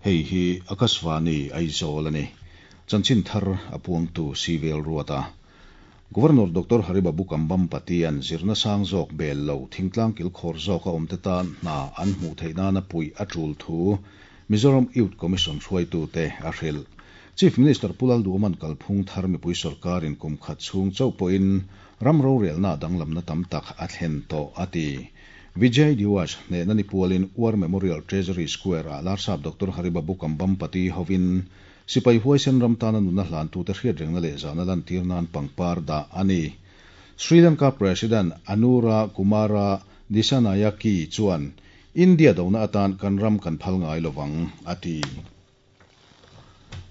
Hei hi Akashvani Aizawl a ni. Chanchin thar a puangtu Sivel Ruata. Governor Doctor Haribabu Kambhampati-a'n zirna sang zawk bel lo thingtlang kilkhawr zawka awmte tan hna an hmuh theih nana puih a tul thu Mizoram Youth Commission hruaitute a hrilh. Chief Minister Pu Lalduhawma'n kalphung thar mipui sawrkarin kum khat chhung chauh pawhin ram rorelna danglamna tam tak a thlen tawh a ti. Vijay Diwas hnehna ni pualin War Memorial Treasury Square-ah Larsap Doctor Haribabu Kambhampati hovin Sipai huaisen ram tana nunna hlantute hriatrengna leh zahna lantir nan pangpar dah a ni. Sri Lanka President Anura Kumara Dissanayake chuan, India dona atan kan ram kan phal ngai lovang, a ti.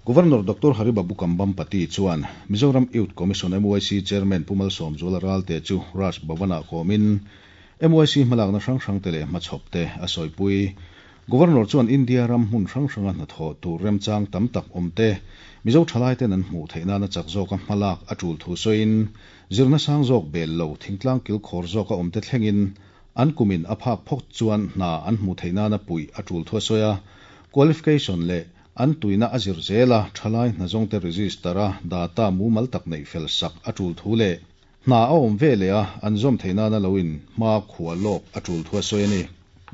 Governor Doctor Haribabu Kambhampati chuan Mizoram Youth Commission, MYC, Chairman Pu Malsawmzuala Ralte chu Raj Bhavan-ah kawmin MYC hmalakna hrang hrangte leh hmachhawpte a sawipui. Governor chuan India ram hmun hrang hranga hnathawh tur remchang tam tak awm te, Mizo thalaiten an hmuh theih nana chak zawka hmalak a tul thu sawiin, zirna sang zawk bel lo thingtlang kilkhawr zawka awm te thlengin an kumin a phak phawk chuan hna an hmuh theih nana puih a tul thu a sawi a. Qualification leh an tuina a zir zela thalai hna zawngte register a data mumal tak neih fel sak a tul thu leh Hna a awm ve leh a, an zawm theih nana lo in hma khua lawk a tul thu a sawi a ni.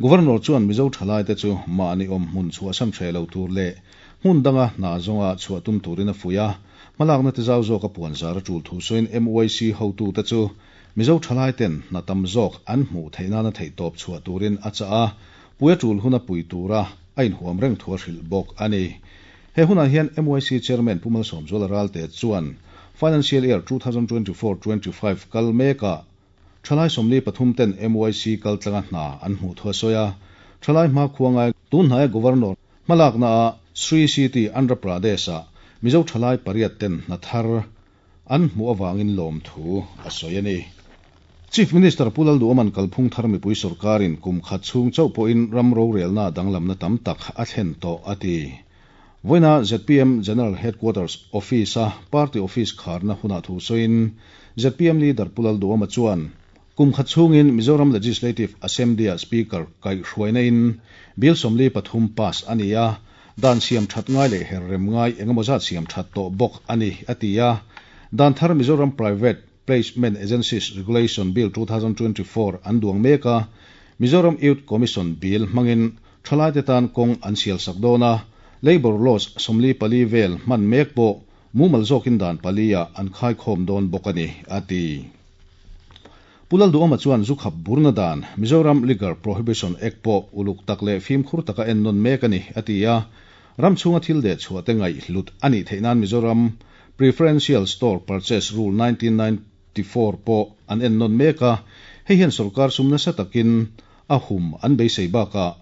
Governor chuan Mizo thalaite chu mahni awm hmun chhuahsan hreh lo tur leh hmun danga hna zawnga chhuah tum turin a fuih a, hmalakna te zau zawka puan zar a tul thu sawiin MYC hotute chu Mizo thalaiten hna tam zawk an hmuh theih nana theihtawp chhuah turin a chah a, pui a tul huna pui tura a inhuam reng thu a hrilh bawk a ni. He hunah hian MYC Chairman Pu Malsawmzuala Ralte chuan Financial Year 2024 25 kal mekah thalai 43 ten MYC kaltlanga hna an hmuh thu a sawi a, thalai hmakhua ngai tun hnaia Governor hmalaknaah Sri City, Andhra Pradesh-ah Mizo thalai pariat ten hna thar an hmuh avangin lawmthu a sawi a ni. Chief Minister Pu Lalduhawma'n kalphung thar mipui sawrkarin kum khat chhung chauh pawhin ram rorelna danglamna tam tak a thlen tawh a ti. Vawiina zpm General Headquarters Office-a party office kharna hunah thu sawiin zpm Leader Pu Lalduhawma chuan kum khat chhungin Mizoram Legislative Assembly-ah Speaker kaihhruaina in Bill 43 pass a ni a, Dan siam that ngai leh her rem ngai engemaw zat siam that tawh bawk a ni, a ti a. Dan thar Mizoram Private Placement Agencies Regulation Bill 2024 an duang mek a, Mizoram Youth Commission Bill hmangin thalaite tan kawng an sial sak dawn a, Labour Laws 44 vel hman mek pawh mumal zawkin dan pali-ah an khaikhawm dawn bawk a ni, a ti. Pu Lalduhawma chuan zu khap burna dan, Mizoram Liquor Prohibition Act pawh uluk tak leh fimkhur taka ennawn mek a ni, a ti a. Ram chhunga thil deh chhuah te ngaihhlut a nih theih nan Mizoram Preferential Store Purchase Rule 1994 pawh an ennawn mek a, hei hian sorkar sum nasa takin a hum an beisei bakah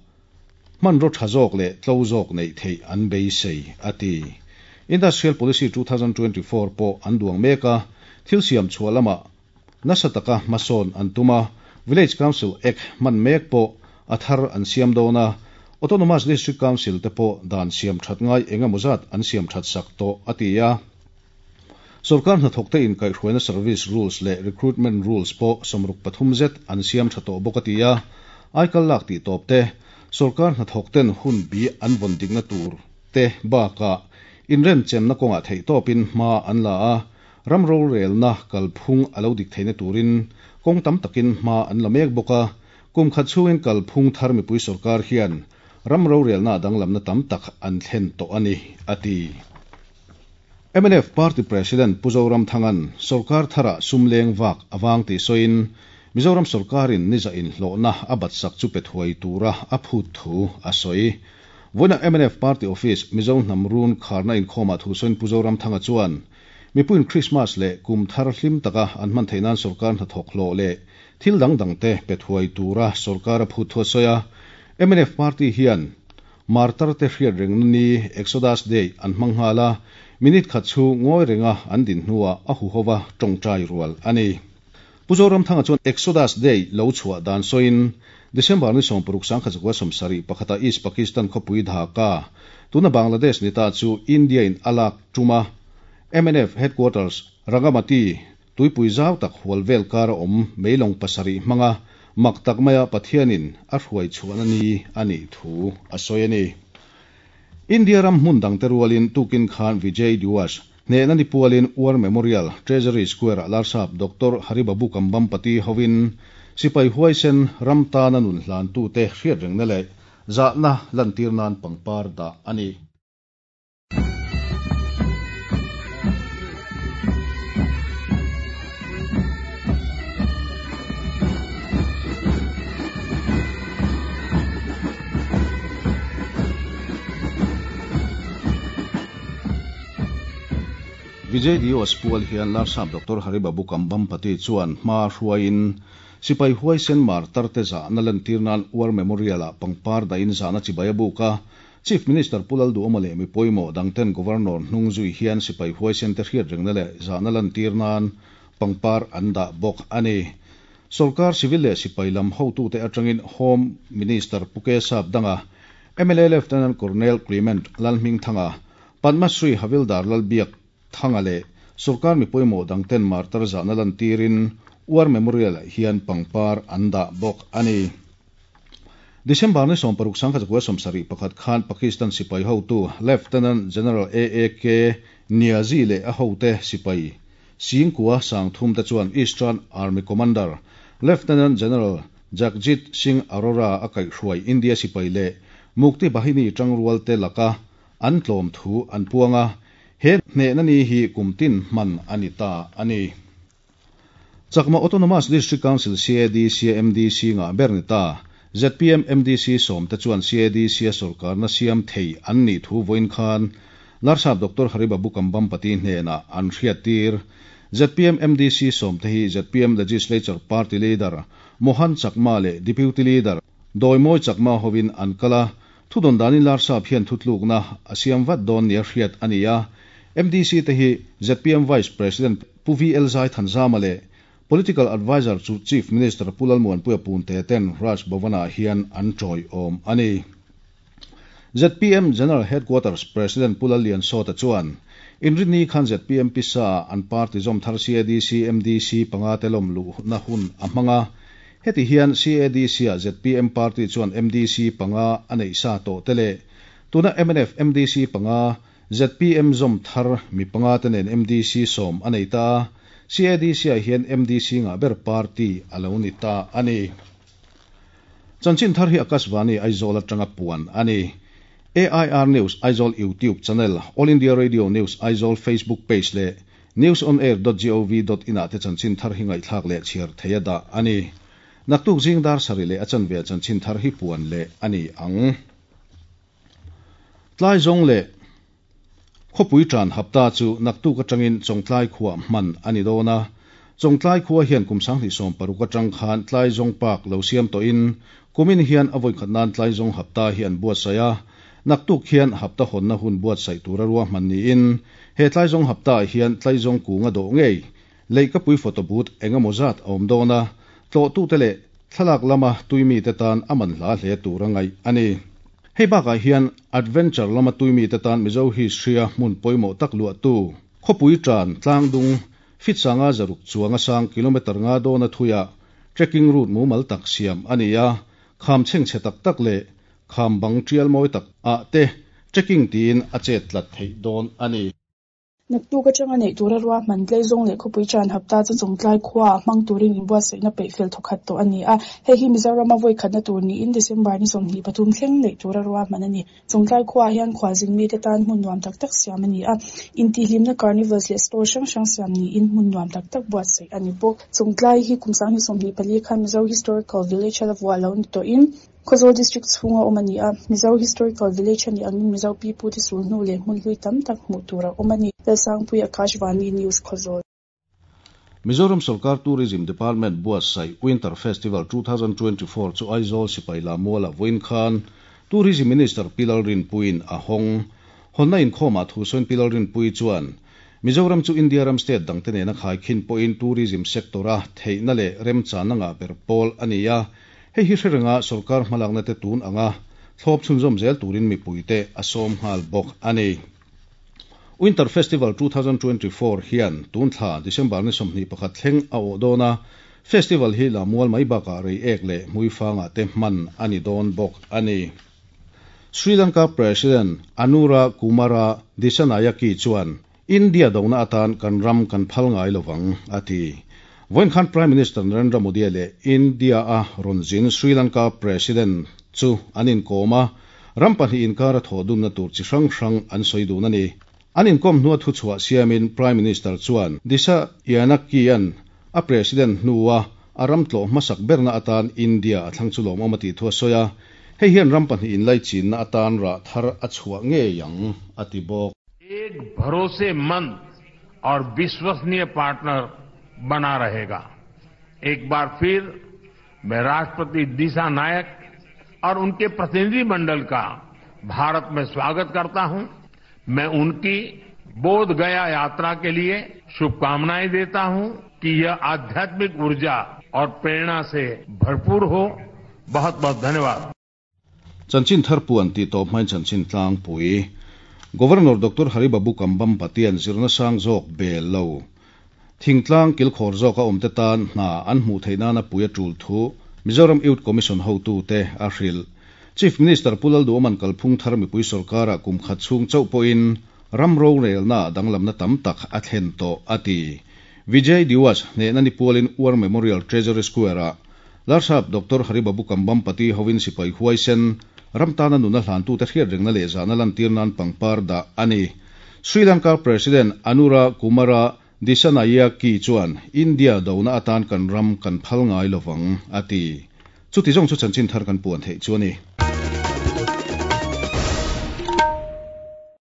hmanraw tha zawk leh tlo zawk neih theih an beisei, a ti. Industrial Policy 2024 pawh an duang mek a, thil siam chhuah lamah Nasa taka hmasawn an tum a, Village Council Act hman mek pawh a thar an siam dawn a, Autonomous District Council te pawh dan siam that ngai eng emaw zat an siam that sak tawh, a ti a. Sorkar hnathawkte inkaihhruaina Service Rules leh Recruitment Rules pawh 63 zet an siam tha tawh bawk, a ti a. Aikal lak tih tawp te, sorkar hnathawkten hun bi an vawn dikna tur te bakah inremchemna kawngah theihtawpin hma an la a, Ram rorelna kalphung a lo dik theihna turin kawng tam takin hma an la mek bawk a, kum khat chhungin kalphung thar mipui sorkar hian ram rorelna danglamna tam tak an thlen tawh a ni, a ti. Mnf Party President Pu Zoramthanga'n sorkar tharah sum leng vak a vang tih sawiin Mizoram sorkarin niza inhlawhna a batsak chu pe thuai tura a phut thu a sawi. Vawiina mnf Party Office Mizo hnam run kharna inkhawmah thu sawiin Pu Zoramthanga chuan Mipuiin Krismas leh kum thar hlim taka an hman theih nan sorkar hnathawk hlawh leh thil dang dangte pe thuai tura sorkar a phut thu a sawi a. Mnf party hian Martar te hriat rengna ni Exodus Day an hmang nghal a, minute khat chu ngawi renga an din hnuah a huhova tawngtai rual a ni. Pu Zoramthanga chuan Exodus Day lo chhuah dan sawiin December ni 60 1971 ah East Pakistan khawpui Dhaka, tuna Bangladesh ni ta chu India in a lak tum a, mnf Headquarters Rangamati tuipui zau tak hual vel kara awm meilawng pasarih hmanga mak tak maia Pathianin a hruai chhuahna ni a nih thu a sawi a ni. India ram hmun dangte rualin tukin khan Vijay Diwas hnehna ni pualin War Memorial, Treasury Square-ah Larsap Doctor Haribabu Kambhampati hovin sipai huaisen ram tana nun hlantute hriatrengna leh zahna lantir nan pangpar dah a ni. Vijay Diwas pual hian Larsap Doctor Haribabu Kambhampati chuan hma hruaiin sipai huaisen martar te zahna lantir nan War Memorial-ah pangpar dahin zahna chibai a buk a. Chief Minister Pu Lalduhawma leh mi pawimawh dangten Governor hnung zui hian sipai huaisen te hriatrengna leh zahna lantir nan pangpar an dah bawk a ni. Sorkar civil leh sipai lam hotute atangin Home Minister Pu Kesap Danga, mla Lieutenant Colonel Clement Lalhmingthanga, Padma Shri Havildar Lalbiak Thanga leh sorkar mi pawimawh dangten martar zahna lantirin War Memorial-ah hian pangpar an dah bawk a ni. December ni 16 1971 khan Pakistan sipai hotu Lieutenant General AAK Niazi leh a hote sipai Singkua Sangthum te chuan Eastern Army Commander Lieutenant General Jagjit Singh Arora a kaihhruai India sipai leh Mukti Bahini tangrual te laka an tlawm thu an puang a, he hnehna ni hi kumtin hman a ni ta a ni. Chakma Autonomous District Council CADC MDC nga ber ni ta. ZPM MDC sawm te chuan CADC a sorkarna siam thei an nih thu vawiin khan Larsap Doctor Haribabu Kambhampati hnenah an hriattir. ZPM MDC sawm te hi ZPM Legislature Party Leader Mohan Chakma leh Deputy Leader Dawimawi Chakma hovin an kal a, thudawn danin Larsap hian thutlukna a siam vat dawn nia hriat a ni a. MDC te hi ZPM Vice President Pu VL Zaithanzama leh Political Adviser chu Chief Minister Pu Lalmuanpuia Punte ten Raj Bhavan-ah hian an tawiawm a ni. ZPM General Headquarters President Pu Lalliansawta chuan Inrinni khan ZPM pisa-ah an party zawm thar CADC MDC panga te lawm luhna hun a hmang a. Heti hian CADC-ah ZPM party chuan MDC panga a neih sa tawh te leh tuna mnf MDC panga ZPM zawm thar mi panga te nen MDC sawm a nei ta a, CADC-ah hian MDC ngah ber party a lo ni ta a ni. Chanchin thar hi Akashvani Aizawl atanga puan a ni. AIR News Aizawl YouTube channel, All India Radio News Aizawl Facebook page leh newsonair.gov.in ah te chanchin thar hi ngaihthlak leh chhiar thei a dah a ni. Naktuk zing dar sarih leh a chanve ah chanchin thar hi puan leh a ni ang. Tlai zawng leh khawpui tan hapta chu naktuk atangin Chawngtlai khuah hman a ni dawn a. Chawngtlai khua hian kum 2016 atang khan tlai zawng park lo siam tawhin kumin hian a vawikhat nan tlai zawng hapta hi an buatsaih a. Naktuk hian hapta hawnna hun buatsaih tura ruahman niin he tlai zawng hapta ah hian tlai zawng kung a dawh ngei leihkapui photo booth engemaw zat a awm dawn a, tlawhtute leh thlalak lama tuimite tan a man hla hle tur a ngaih a ni. Hei bakah hian adventure lama tuimite tan Mizo history-a hmun pawimawh tak luahtu khawpui tan tlangdung feet sanga zaruk chuanga sang kilometre nga dawna thuiah trekking route mumal tak siam a ni a, kham chhengchhe tak tak leh kham bang tial mawi tak ah te trekking tiin a chet tlat theih dawn a ni. Naktuk atanga neih tura ruahman Tleizawng leh khawpui tan hapta chu Chawngtlai khuaah hmang turin inbuatsaihna peih fel thawkhat tawh a ni a. Hei hi Mizorama vawi khatna tur niin December ni 23 thleng neih tura ruahman a ni. Chawngtlai khuaah hian khualzin mite tan hmun nuam tak tak siam a ni a. Intihhlimna carnivals leh store hrang hrang siam niin hmun nuam tak tak buatsaih a ni bawk. Chawngtlai hi kum 2024 khan Mizo Historical Village a la vuah lo ni tawhin, Khawzawl District chhunga awm a ni a, Mizo Historical Village a nih angin Mizo pipu te sul hnu leh hmun hlui tam tak hmuh tur a awm a ni. Lalsangpui Akashvani News Khawzawl. Mizoram Sarkar Tourism Department buatsaih Winter Festival 2024 chu Aizawl Sipai Lamuala vawiin khan Tourism Minister Pi Lalrinpuiin a hawng. Hawnna inkhawmah thu sawiin Pi Lalrinpui chuan Mizoram chu India ram state dangte nena khaikhin pawhin tourism sector-a theihna leh remchanna ngah ber pawl a ni a, hei hi hre renga sorkar hmalakna te tun anga thlawp chhunzawm zel turin mipuite a sawm nghal bawk a ni. Winter Festival 2024 hian tun thla December ni 21 thleng a awh dawn a, Festival hi Lammual mai bakah Reiek leh Hmuifangah te hman a ni dawn bawk a ni. Sri Lanka President Anura Kumara Dissanayake chuan India dona atan kan ram kan phal ngai lovang a ti. Vawiin khan Prime Minister Narendra Modi leh India a rawn zin Sri Lanka President chu an inkawm a, ram pahnih inkara thawh dunna tur chi hrang hrang an sawi dun a ni. An inkawm hnua thuchhuah siamin Prime Minister chuan Dissanayake-a'n a President hnua a ram tlawh hmasak berna atan India a thlang chu lawmawm a tih thu a sawi a, hei hian ram pahnih inlaichinna atan rah thar a chhuah ngei ang a ti bawk. एक भरोसेमंद और विश्वसनीय partner बना रहेगा। एक बार फिर मैं राष्ट्रपति दिशा नायक और उनके प्रतिनिधिमंडल का भारत में स्वागत करता हूं। मैं उनकी बोध गया यात्रा के लिए शुभकामनाएं देता हूं कि यह आध्यात्मिक ऊर्जा और प्रेरणा से भरपूर हो। बहुत बहुत धन्यवाद। Chanchin thar puan tih tawp hmain chanchin tlangpui Governor Doctor Haribabu Kambhampatian zirna sang zawk bel lo. Thingtlang kilkhawr zawka awmte tan hna an hmuh theih nana pui a tul thu Mizoram Youth Commission hotute a hrilh. Chief Minister Pu Lalduhawman kalphung thar mipui sorkara kum khat chhung chauh pawhin ram rorelna danglamna tam tak a thlen tawh a ti. Vijay Diwas hnehna ni pualin War Memorial Treasury Square-ah Larsap Doctor Haribabu Kambhampati hovin sipai huaisen ram tana nuna hlantute hriat rengna leh zahna lantir nan pangpar dah a ni. Sri Lanka President Anura Kumara Dissanayake chuan India dona atan kan ram kan phal ngai lovang a ti. Chuti zawng chu chanchin thar kan puan theih chu a ni.